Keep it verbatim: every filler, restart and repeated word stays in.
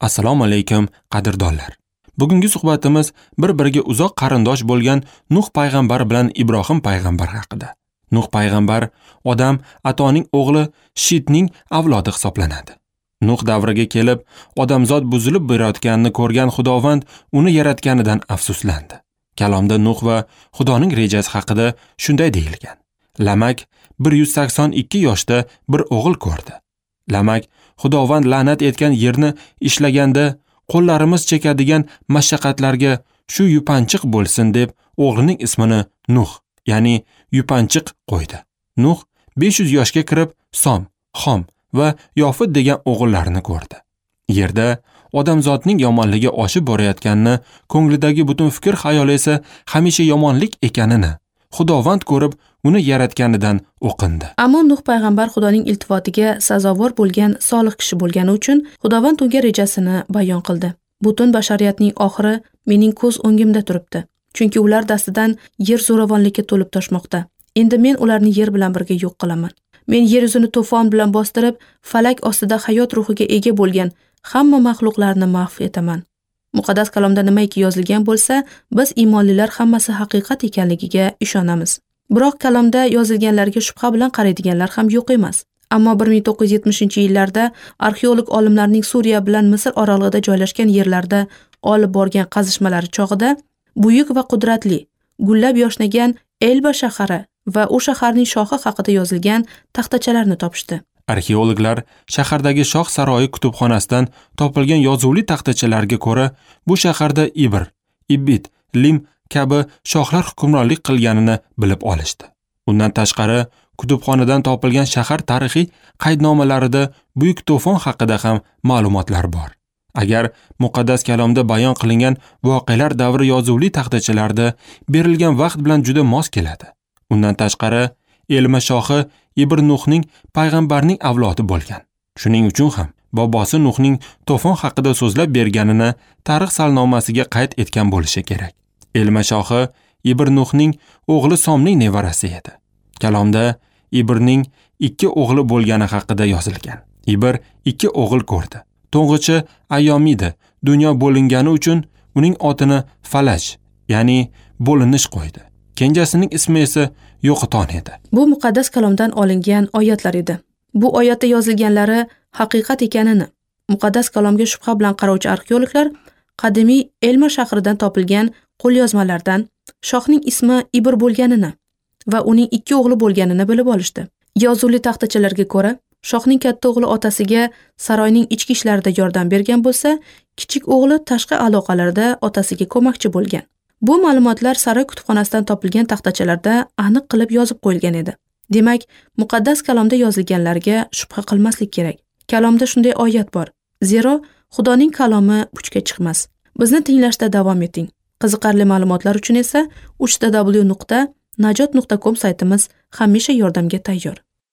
Assalomu alaykum qadrdonlar. Bugungi suhbatimiz bir-biriga uzoq qarindosh bo'lgan Nuh payg'ambar bilan Ibrohim payg'ambar haqida. Nuh payg'ambar odam atoning o'g'li Shitning avlodi hisoblanadi. Nuh davriga kelib, odamzod buzilib borayotganini ko'rgan Xudovand uni yaratganidan afsuslandi. Kalomda Nuh va Xudoning rejasi haqida shunday deyilgan. Lamak bir yuz sakson ikki yoshda bir o'g'il ko'rdi. Lamak Xudovand la'nat etgan yerni ishlaganda qo'llarimiz chekadigan mashaqqatlarga shu yupanchiq bo'lsin deb o'g'lining ismini Nuh, ya'ni yupanchiq qo'ydi. Nuh besh yuz yoshga kirib Som, Xom va Yofid degan o'g'illarini ko'rdi. Yerda odamzodning yomonligi oshib borayotganini, ko'nglidagi butun fikr xayoli esa hamisha yomonlik ekanini Xudovand ko'rib, uni yaratganidan o'qindi. Ammo Nuh payg'ambar Xudoning iltifotiga sazovor bo'lgan solih kishi bo'lgani uchun Xudovand unga rejasini bayon qildi. Butun bashariyatning oxiri mening ko'z o'ngimda turibdi. Chunki ular dastidan yer zo'ravonlikka to'lib toshmoqda. Endi men ularni yer bilan birga yo'q qilaman. Men yer yuzini to'fon bilan bostirib, falak ostida hayot ruhiga ega bo'lgan hamma maxluqlarni mahv etaman. Muqaddas kalomda nimaiki yozilgan bo'lsa, biz iymonlilar hammasi haqiqat ekanligiga ishonamiz. Biroq kalomda yozilganlarga shubha bilan qaraydiganlar ham yo'q emas. Ammo bir ming to'qqiz yuz yetmishinchi yillarda arxeolog olimlarning Suriya bilan Misr oralig'ida joylashgan yerlarda olib borgan qazishmalari chog'ida buyuk va qudratli, gullab yoshnagan Elba shahari va u shaharning shohi haqida yozilgan taxtachalarni topishdi. Arxeologlar shahardagi shoh saroyi kutubxonasidan topilgan yozuvli taxtachalarga ko'ra, bu shaharda Ibr, Ibit, Lim kabi shohlar hukmronlik qilganini bilib olishdi. Undan tashqari, kutubxonadan topilgan shahar tarixiy qaydnomalarida buyuk to'fon haqida ham ma'lumotlar bor. Agar muqaddas kalomda bayon qilingan voqealar davri yozuvli taxtachalarda berilgan vaqt bilan juda mos keladi. Undan tashqari, Elma shohi Ibr Nuhning payg'ambarning avlodi bo'lgan. Shuning uchun ham bobosi Nuhning to'fon haqida so'zlab berganini tarix salnomasiga qayd etgan bo'lishi kerak. Elma shohi Ibr Nuhning o'g'li Somning nevarasi edi. Kalomda Ibrning ikki o'g'li bo'lgani haqida yozilgan. Ibr ikki o'g'il ko'rdi. To'ng'ichi Ayyomida dunyo bo'lingani uchun uning otini Falaj, ya'ni bo'linish qo'ydi. Kenjasining ismi esa Yo'qoton edi. Bu muqaddas kalomdan olingan oyatlar edi. Bu oyatda yozilganlari haqiqat ekanini muqaddas kalomga shubha bilan qarovchi arxeologlar qadimiy Elma shahridan topilgan qo'lyozmalardan shohning ismi Ibr bo'lganini va uning ikki o'g'li bo'lganini bilib olishdi. Yozuvli taxtachalarga ko'ra, shohning katta o'g'li otasiga saroyning ichki ishlarida yordam bergan bo'lsa, kichik o'g'li tashqi aloqalarda otasiga ko'makchi bo'lgan. Bu ma'lumotlar saroy kutubxonasidan topilgan taxtachalarda aniq qilib yozib qo'yilgan edi. Demak, muqaddas kalomda yozilganlarga shubha qilmaslik kerak. Kalomda shunday oyat bor. Zero Xudoning kalomi puchga chiqmas. Bizni tinglashda davom eting. Qiziqarli ma'lumotlar uchun esa uch w nuqta najot nuqta com saytimiz hamisha yordamga tayyor.